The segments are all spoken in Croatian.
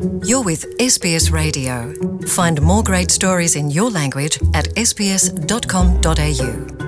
You're with SBS Radio. Find more great stories in your language at sbs.com.au.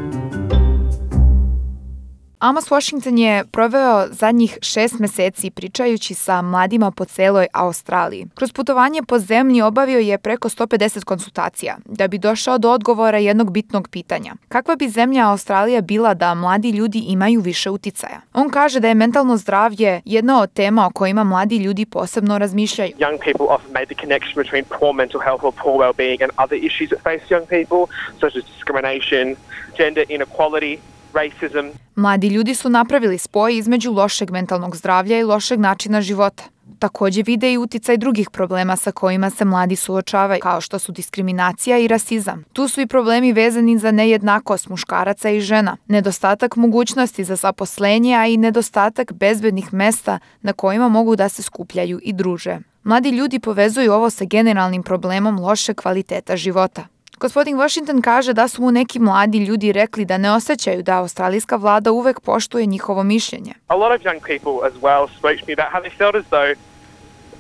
Amos Washington je proveo zadnjih 6 meseci pričajući sa mladima po celoj Australiji. Kroz putovanje po zemlji obavio je preko 150 konsultacija da bi došao do odgovora jednog bitnog pitanja. Kakva bi zemlja Australija bila da mladi ljudi imaju više uticaja? On kaže da je mentalno zdravlje jedna od tema o kojima mladi ljudi posebno razmišljaju. Young people often made the connection between poor mental health or poor well-being and other issues that face young people, such as discrimination, gender inequality, racism. Mladi ljudi su napravili spoj između lošeg mentalnog zdravlja i lošeg načina života. Također vide i uticaj drugih problema sa kojima se mladi suočavaju, kao što su diskriminacija i rasizam. Tu su i problemi vezani za nejednakost muškaraca i žena, nedostatak mogućnosti za zaposlenje, a i nedostatak bezbednih mesta na kojima mogu da se skupljaju i druže. Mladi ljudi povezuju ovo sa generalnim problemom loše kvaliteta života. Gospodin Washington kaže da su mu neki mladi ljudi rekli da ne osjećaju da australijska vlada uvek poštuje njihovo mišljenje. A lot of young people as well spoke to me about how they felt as though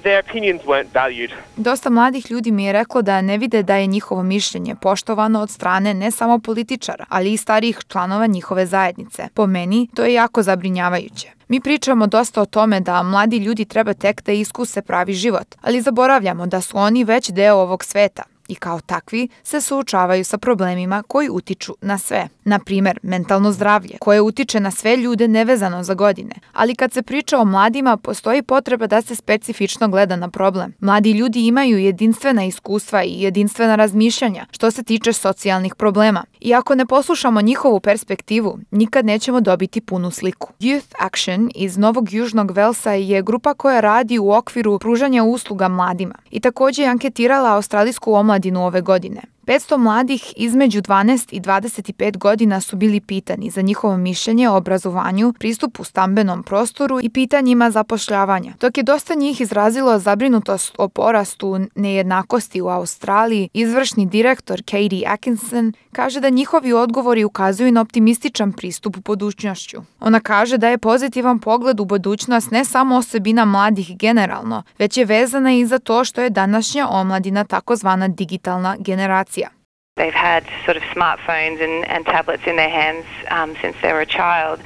their opinions weren't valued. Dosta mladih ljudi mi je reklo da ne vide da je njihovo mišljenje poštovano od strane ne samo političara, ali i starijih članova njihove zajednice. Po meni, to je jako zabrinjavajuće. Mi pričamo dosta o tome da mladi ljudi treba tek da iskuse pravi život, ali zaboravljamo da su oni već deo ovog sveta i kao takvi se suočavaju sa problemima koji utiču na sve. Na primjer, mentalno zdravlje, koje utiče na sve ljude nevezano za godine. Ali kad se priča o mladima, postoji potreba da se specifično gleda na problem. Mladi ljudi imaju jedinstvena iskustva i jedinstvena razmišljanja što se tiče socijalnih problema. I ako ne poslušamo njihovu perspektivu, nikad nećemo dobiti punu sliku. Youth Action iz Novog Južnog Velsa je grupa koja radi u okviru pružanja usluga mladima i također je anketirala australijsku omladinu ove godine. 500 mladih između 12 i 25 godina su bili pitani za njihovo mišljenje o obrazovanju, pristupu stambenom prostoru i pitanjima zapošljavanja. Dok je dosta njih izrazilo zabrinutost o porastu nejednakosti u Australiji, izvršni direktor Katie Atkinson kaže da njihovi odgovori ukazuju na optimističan pristup u budućnošću. Ona kaže da je pozitivan pogled u budućnost ne samo osobina mladih generalno, već je vezana i za to što je današnja omladina takozvana digitalna generacija. They've had sort of smartphones and tablets in their hands since they were a child,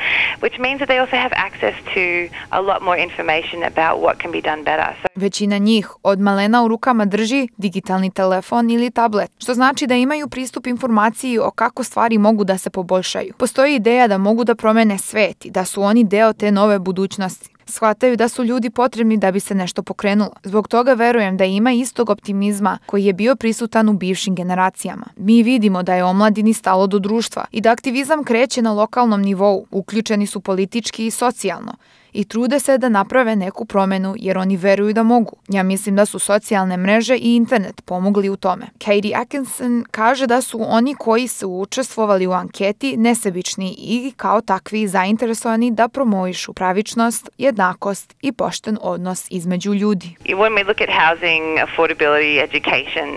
which means that they also have access to a lot more information about what can be done better. Većina njih od malena u rukama drži digitalni telefon ili tablet, što znači da imaju pristup informaciji o kako stvari mogu da se poboljšaju. Postoji ideja da mogu da promene svet i da su oni deo te nove budućnosti. Shvataju da su ljudi potrebni da bi se nešto pokrenulo. Zbog toga verujem da ima istog optimizma koji je bio prisutan u bivšim generacijama. Mi vidimo da je omladini stalo do društva i da aktivizam kreće na lokalnom nivou, uključeni su politički i socijalno i trude se da naprave neku promenu jer oni veruju da mogu. Ja mislim da su socijalne mreže i internet pomogli u tome. Katie Atkinson kaže da su oni koji su učestvovali u anketi nesebični i kao takvi zainteresovani da promovišu pravičnost, jednakost i pošten odnos između ljudi. When we look at housing, affordability, education,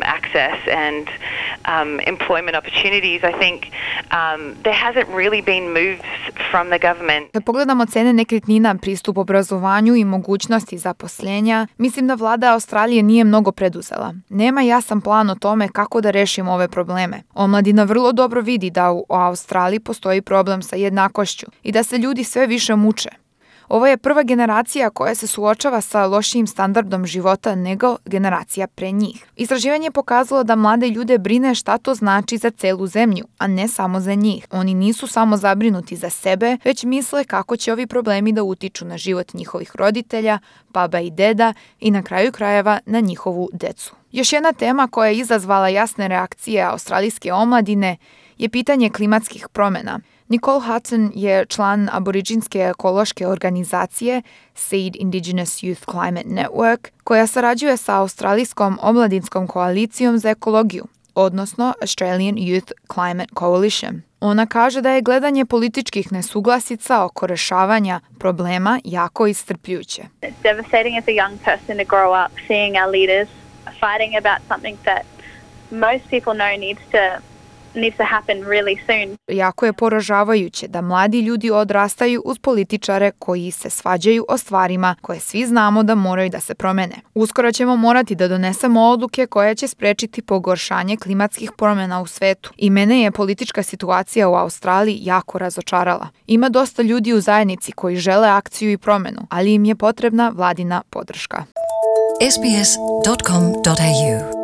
access and employment opportunities, I think there hasn't really been moves from the government. Kad pogledamo cene nekretnina, pristup obrazovanju i mogućnosti zaposlenja, mislim da vlada Australije nije mnogo preduzela. Nema jasan plan o tome kako da rešimo ove probleme. Omladina vrlo dobro vidi da u Australiji postoji problem sa jednakošću i da se ljudi sve više muče. Ovo je prva generacija koja se suočava sa lošijim standardom života nego generacija pre njih. Istraživanje je pokazalo da mlade ljude brine šta to znači za celu zemlju, a ne samo za njih. Oni nisu samo zabrinuti za sebe, već misle kako će ovi problemi da utiču na život njihovih roditelja, baba i deda i na kraju krajeva na njihovu decu. Još jedna tema koja je izazvala jasne reakcije australijske omladine je pitanje klimatskih promjena. Nicole Hutton je član aboriđinske ekološke organizacije SEED Indigenous Youth Climate Network, koja sarađuje sa Australijskom omladinskom koalicijom za ekologiju, odnosno Australian Youth Climate Coalition. Ona kaže da je gledanje političkih nesuglasica oko rešavanja problema jako iscrpljujuće. It's devastating as a young person to grow up seeing our leaders fighting about something that most people know needs to needs to happen really soon. Jako je poražavajuće da mladi ljudi odrastaju uz političare koji se svađaju o stvarima koje svi znamo da moraju da se promene. Uskoro ćemo morati da donesemo odluke koje će sprečiti pogoršanje klimatskih promjena u svetu. I mene je politička situacija u Australiji jako razočarala. Ima dosta ljudi u zajednici koji žele akciju i promjenu, ali im je potrebna vladina podrška. sbs.com.au